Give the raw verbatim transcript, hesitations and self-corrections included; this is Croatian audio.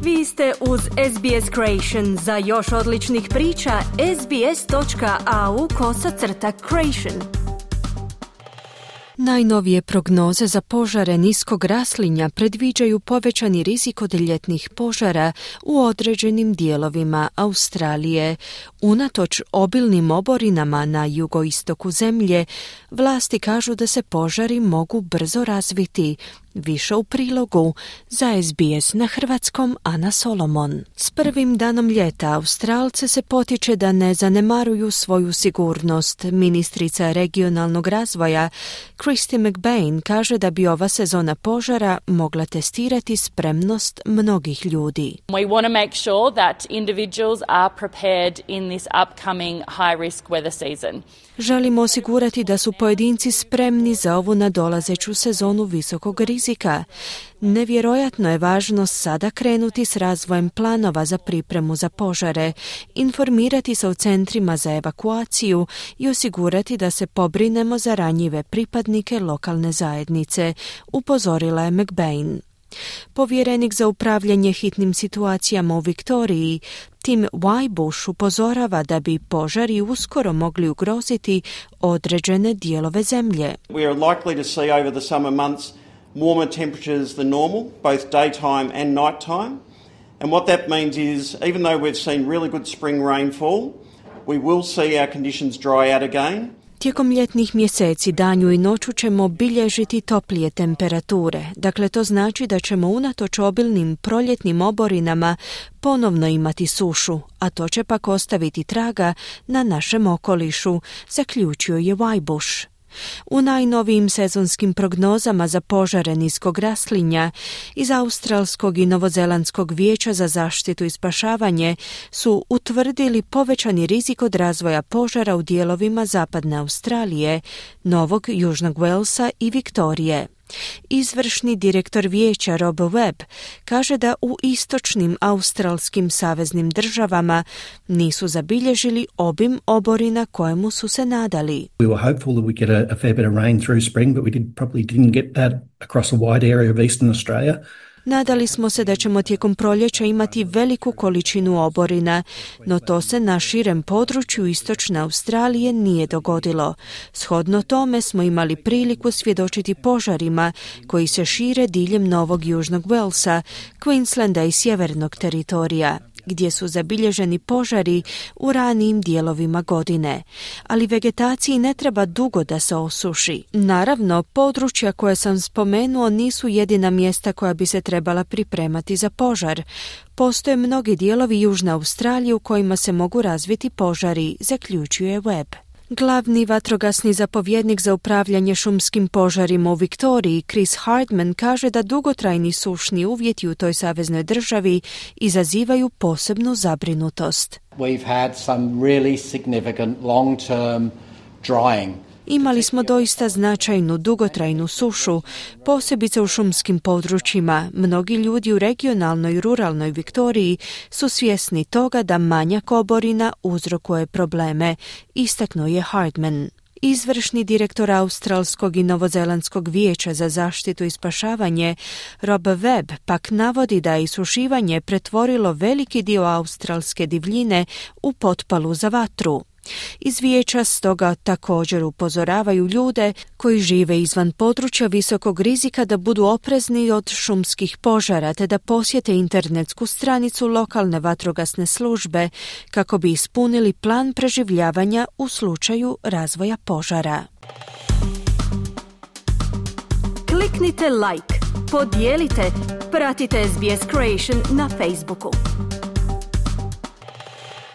Vi ste uz S B S Creation. Za još odličnih priča, sbs.au kosacrta creation. Najnovije prognoze za požare niskog raslinja predviđaju povećani rizik od ljetnih požara u određenim dijelovima Australije. Unatoč obilnim oborinama na jugoistoku zemlje, vlasti kažu da se požari mogu brzo razviti. Više u prilogu za S B S na hrvatskom Ana Solomon. S prvim danom ljeta Australce se potiče da ne zanemaruju svoju sigurnost. Ministrica regionalnog razvoja Kristy McBain kaže da bi ova sezona požara mogla testirati spremnost mnogih ljudi. We want to make sure that individuals are prepared in this upcoming high risk weather season. Želimo osigurati da su pojedinci spremni za ovu nadolazeću sezonu visokog rizika. Nevjerojatno je važno sada krenuti s razvojem planova za pripremu za požare, informirati se o centrima za evakuaciju i osigurati da se pobrinemo za ranjive pripadnike lokalne zajednice, upozorila je McBain. Povjerenik za upravljanje hitnim situacijama u Viktoriji, Tim Wybush, upozorava da bi požari uskoro mogli ugroziti određene dijelove zemlje. We are likely to see over the summer months warmer temperatures than normal, both daytime and nighttime. And what that means is, even though we've seen really good spring rainfall, we will see our conditions dry out again. Tijekom ljetnih mjeseci danju i noću ćemo bilježiti toplije temperature. Dakle, to znači da ćemo unatoč obilnim proljetnim oborinama ponovno imati sušu, a to će pak ostaviti traga na našem okolišu, zaključio je Wybush. U najnovijim sezonskim prognozama za požare niskog raslinja iz Australskog i Novozelandskog vijeća za zaštitu i spašavanje su utvrdili povećani rizik od razvoja požara u dijelovima zapadne Australije, Novog Južnog Walesa i Viktorije. Izvršni direktor vijeća Rob Webb kaže da u istočnim australskim saveznim državama nisu zabilježili obim oborina kojemu su se nadali. We were hopeful that we get a, a fair bit of rain through spring, but we did, probably didn't get that across a wide area of eastern Australia. Nadali smo se da ćemo tijekom proljeća imati veliku količinu oborina, no to se na širem području istočne Australije nije dogodilo. Shodno tome smo imali priliku svjedočiti požarima koji se šire diljem Novog Južnog Walesa, Queenslanda i sjevernog teritorija, gdje su zabilježeni požari u ranijim dijelovima godine. Ali vegetaciji ne treba dugo da se osuši. Naravno, područja koje sam spomenuo nisu jedina mjesta koja bi se trebala pripremati za požar. Postoje mnogi dijelovi Južne Australije u kojima se mogu razviti požari, zaključuje Webb. Glavni vatrogasni zapovjednik za upravljanje šumskim požarima u Viktoriji, Chris Hardman, kaže da dugotrajni sušni uvjeti u toj saveznoj državi izazivaju posebnu zabrinutost. We've had some really significant long-term drying. Imali smo doista značajnu dugotrajnu sušu, posebice u šumskim područjima. Mnogi ljudi u regionalnoj i ruralnoj Viktoriji su svjesni toga da manjak oborina uzrokuje probleme, istaknuo je Hardman. Izvršni direktor Australskog i Novozelandskog vijeća za zaštitu i spašavanje Rob Webb pak navodi da je isušivanje pretvorilo veliki dio australske divljine u potpalu za vatru. Iz vijeća stoga također upozoravaju ljude koji žive izvan područja visokog rizika da budu oprezni od šumskih požara te da posjete internetsku stranicu lokalne vatrogasne službe kako bi ispunili plan preživljavanja u slučaju razvoja požara. Kliknite like, podijelite, pratite S B S Creation na Facebooku.